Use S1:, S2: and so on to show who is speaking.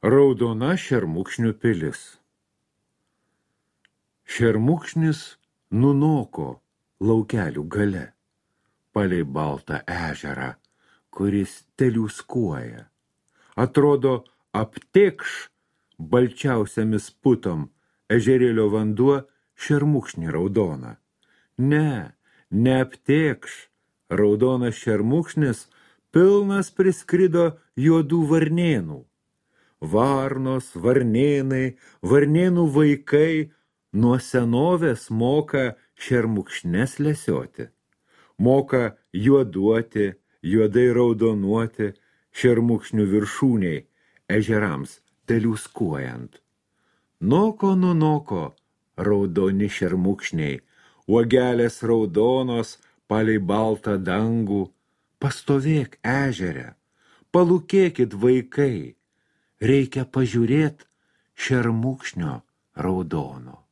S1: Raudona šermukšnių pilis. Šermukšnis nunoko laukelių gale, palei baltą ežerą, kuris teliūskuoja. Atrodo, aptėkš balčiausiamis putom ežerėlio vanduo šermukšnį raudoną. Ne, neaptėkš, raudonas šermukšnis pilnas priskrido juodų varnėnų. Varnos, varnėnai, varnėnų vaikai nuo senovės moka šermukšnes lesioti. Moka juoduoti, juodai raudonuoti šermukšnių viršūniai ežerams teliūskuojant. Noko nunoko raudoni šermukšniai, uogelės raudonos palei baltą dangų. Pastovėk ežere, palūkėkit vaikai. Reikia pažiūrėt šermukšnio raudono.